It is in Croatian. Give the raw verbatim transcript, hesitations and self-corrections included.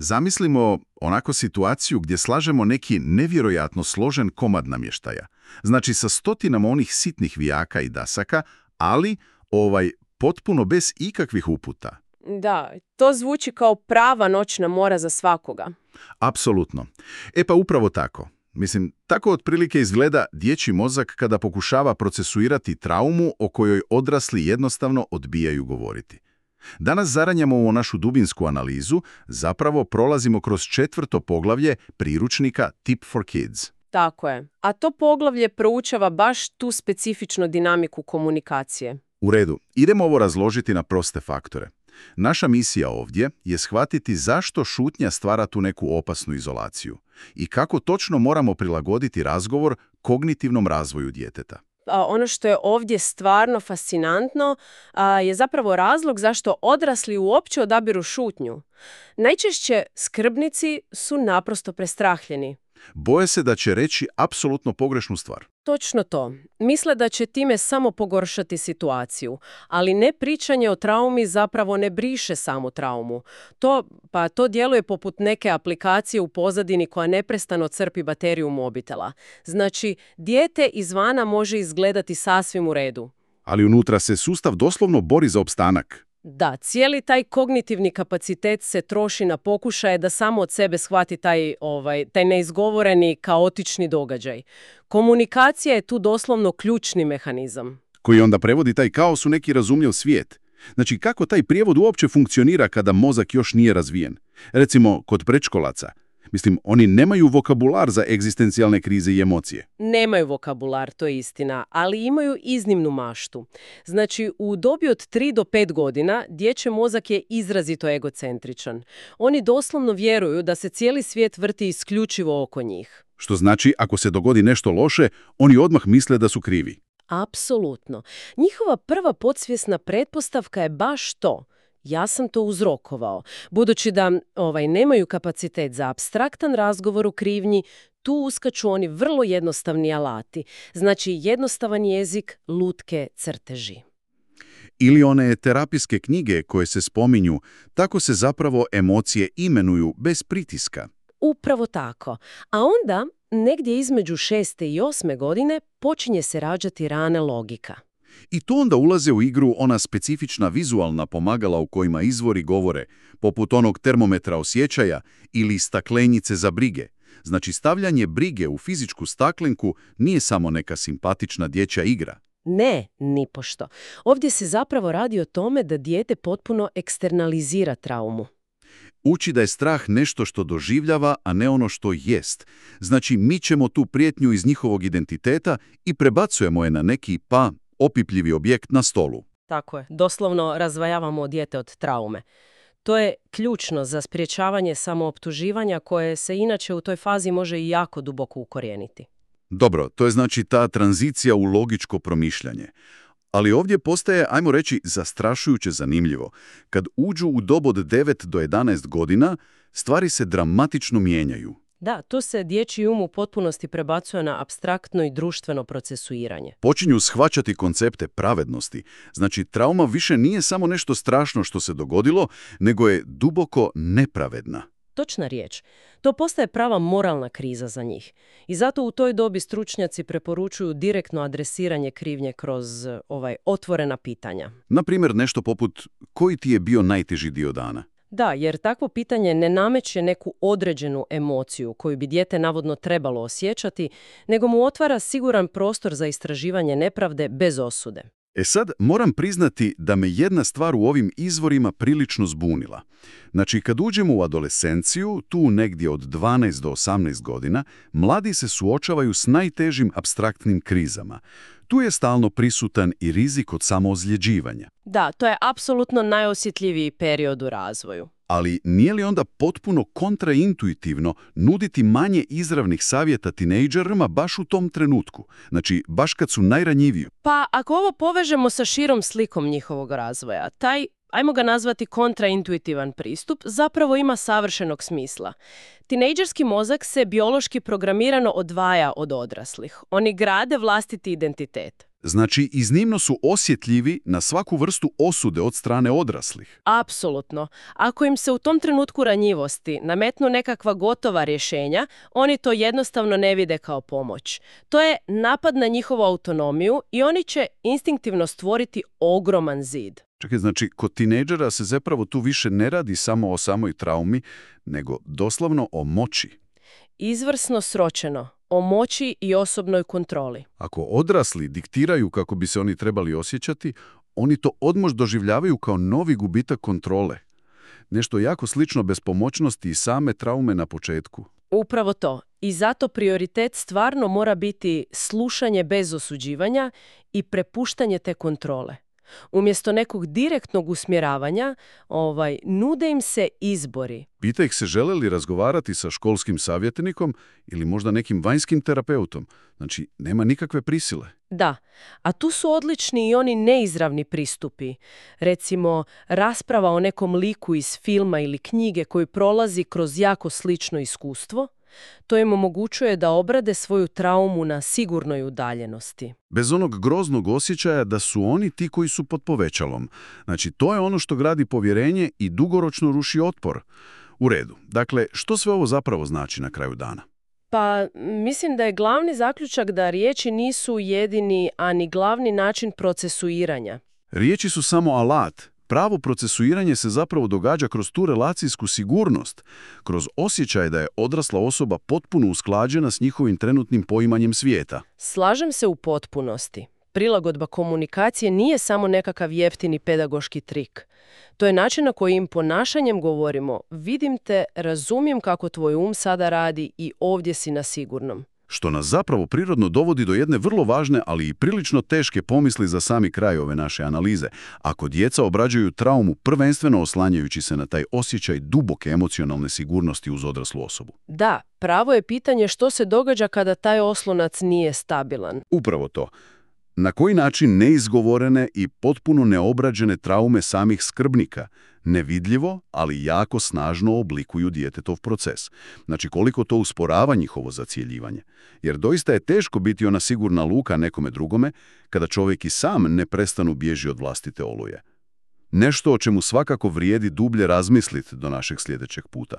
Zamislimo onako situaciju gdje slažemo neki nevjerojatno složen komad namještaja. Znači sa stotinama onih sitnih vijaka i dasaka, ali ovaj potpuno bez ikakvih uputa. Da, to zvuči kao prava noćna mora za svakoga. Apsolutno. E pa upravo tako. Mislim, tako otprilike izgleda dječji mozak kada pokušava procesuirati traumu o kojoj odrasli jednostavno odbijaju govoriti. Danas zaranjamo u našu dubinsku analizu, zapravo prolazimo kroz četvrto poglavlje priručnika Tip for Kids. Tako je. A to poglavlje proučava baš tu specifičnu dinamiku komunikacije. U redu, idemo ovo razložiti na proste faktore. Naša misija ovdje je shvatiti zašto šutnja stvara tu neku opasnu izolaciju i kako točno moramo prilagoditi razgovor kognitivnom razvoju djeteta. A ono što je ovdje stvarno fascinantno a, je zapravo razlog zašto odrasli uopće odabiru šutnju. Najčešće skrbnici su naprosto prestrahljeni. Boje se da će reći apsolutno pogrešnu stvar. Točno to. Misle da će time samo pogoršati situaciju, ali ne pričanje o traumi zapravo ne briše samu traumu. To, pa to djeluje poput neke aplikacije u pozadini koja neprestano crpi bateriju mobitela. Znači, dijete izvana može izgledati sasvim u redu. Ali unutra se sustav doslovno bori za opstanak. Da, cijeli taj kognitivni kapacitet se troši na pokušaje da samo od sebe shvati taj, ovaj, taj neizgovoreni, kaotični događaj. Komunikacija je tu doslovno ključni mehanizam. Koji onda prevodi taj kaos u neki razumljiv svijet. Znači, kako taj prijevod uopće funkcionira kada mozak još nije razvijen? Recimo, kod predškolaca. Mislim, oni nemaju vokabular za egzistencijalne krize i emocije. Nemaju vokabular, to je istina, ali imaju iznimnu maštu. Znači, u dobi od tri do pet godina dječji mozak je izrazito egocentričan. Oni doslovno vjeruju da se cijeli svijet vrti isključivo oko njih. Što znači, ako se dogodi nešto loše, oni odmah misle da su krivi. Apsolutno. Njihova prva podsvjesna pretpostavka je baš to. Ja sam to uzrokovao. Budući da ovaj, nemaju kapacitet za apstraktan razgovor u krivnji, tu uskaču oni vrlo jednostavni alati. Znači jednostavan jezik, lutke, crteži. Ili one terapijske knjige koje se spominju, tako se zapravo emocije imenuju bez pritiska. Upravo tako. A onda, negdje između šeste i osme godine, počinje se rađati rana logika. I tu onda ulaze u igru ona specifična vizualna pomagala u kojima izvori govore, poput onog termometra osjećaja ili staklenjice za brige. Znači, stavljanje brige u fizičku staklenku nije samo neka simpatična dječja igra. Ne, nipošto. Ovdje se zapravo radi o tome da dijete potpuno eksternalizira traumu. Uči da je strah nešto što doživljava, a ne ono što jest. Znači, mi ćemo tu prijetnju iz njihovog identiteta i prebacujemo je na neki, pa, opipljivi objekt na stolu. Tako je. Doslovno razvajavamo dijete od traume. To je ključno za sprječavanje samooptuživanja koje se inače u toj fazi može i jako duboko ukorijeniti. Dobro, to je znači ta tranzicija u logičko promišljanje. Ali ovdje postaje, ajmo reći, zastrašujuće zanimljivo. Kad uđu u dob od devet do jedanaest godina, stvari se dramatično mijenjaju. Da, tu se dječji um u potpunosti prebacuje na apstraktno i društveno procesuiranje. Počinju shvaćati koncepte pravednosti. Znači, trauma više nije samo nešto strašno što se dogodilo, nego je duboko nepravedna. Točna riječ. To postaje prava moralna kriza za njih. I zato u toj dobi stručnjaci preporučuju direktno adresiranje krivnje kroz ovaj otvorena pitanja. Naprimjer, nešto poput koji ti je bio najteži dio dana? Da, jer takvo pitanje ne nameće neku određenu emociju koju bi dijete navodno trebalo osjećati, nego mu otvara siguran prostor za istraživanje nepravde bez osude. E sad, moram priznati da me jedna stvar u ovim izvorima prilično zbunila. Znači, kad uđemo u adolescenciju, tu negdje od dvanaest do osamnaest godina, mladi se suočavaju s najtežim apstraktnim krizama. Tu je stalno prisutan i rizik od samoozljeđivanja. Da, to je apsolutno najosjetljiviji period u razvoju. Ali nije li onda potpuno kontraintuitivno nuditi manje izravnih savjeta tinejdžerima baš u tom trenutku? Znači, baš kad su najranjiviji. Pa, ako ovo povežemo sa širom slikom njihovog razvoja, taj, ajmo ga nazvati kontraintuitivan pristup, zapravo ima savršenog smisla. Tinejdžerski mozak se biološki programirano odvaja od odraslih. Oni grade vlastiti identitet. Znači, iznimno su osjetljivi na svaku vrstu osude od strane odraslih. Apsolutno. Ako im se u tom trenutku ranjivosti nametnu nekakva gotova rješenja, oni to jednostavno ne vide kao pomoć. To je napad na njihovu autonomiju i oni će instinktivno stvoriti ogroman zid. Čekaj, znači, kod tinejdžera se zapravo tu više ne radi samo o samoj traumi, nego doslovno o moći. Izvrsno sročeno. O moći i osobnoj kontroli. Ako odrasli diktiraju kako bi se oni trebali osjećati, oni to odmoć doživljavaju kao novi gubitak kontrole. Nešto jako slično bespomoćnosti i same traume na početku. Upravo to. I zato prioritet stvarno mora biti slušanje bez osuđivanja i prepuštanje te kontrole. Umjesto nekog direktnog usmjeravanja, ovaj, nude im se izbori. Pita ih se žele li razgovarati sa školskim savjetnikom ili možda nekim vanjskim terapeutom. Znači, nema nikakve prisile. Da, a tu su odlični i oni neizravni pristupi. Recimo, rasprava o nekom liku iz filma ili knjige koji prolazi kroz jako slično iskustvo. To im omogućuje da obrade svoju traumu na sigurnoj udaljenosti. Bez onog groznog osjećaja da su oni ti koji su pod povećalom. Znači, to je ono što gradi povjerenje i dugoročno ruši otpor. U redu. Dakle, što sve ovo zapravo znači na kraju dana? Pa, mislim da je glavni zaključak da riječi nisu jedini, a ni glavni način procesuiranja. Riječi su samo alat. Pravo procesuiranje se zapravo događa kroz tu relacijsku sigurnost, kroz osjećaj da je odrasla osoba potpuno usklađena s njihovim trenutnim poimanjem svijeta. Slažem se u potpunosti. Prilagodba komunikacije nije samo nekakav jeftini pedagoški trik. To je način na koji im ponašanjem govorimo: vidim te, razumijem kako tvoj um sada radi i ovdje si na sigurnom. Što nas zapravo prirodno dovodi do jedne vrlo važne, ali i prilično teške pomisli za sami kraj ove naše analize. Ako djeca obrađuju traumu prvenstveno oslanjajući se na taj osjećaj duboke emocionalne sigurnosti uz odraslu osobu. Da, pravo je pitanje što se događa kada taj oslonac nije stabilan. Upravo to. Na koji način neizgovorene i potpuno neobrađene traume samih skrbnika nevidljivo, ali jako snažno oblikuju djetetov proces. Znači, koliko to usporava njihovo zacjeljivanje. Jer doista je teško biti ona sigurna luka nekome drugome kada čovjek i sam ne prestanu bježi od vlastite oluje. Nešto o čemu svakako vrijedi dublje razmisliti do našeg sljedećeg puta.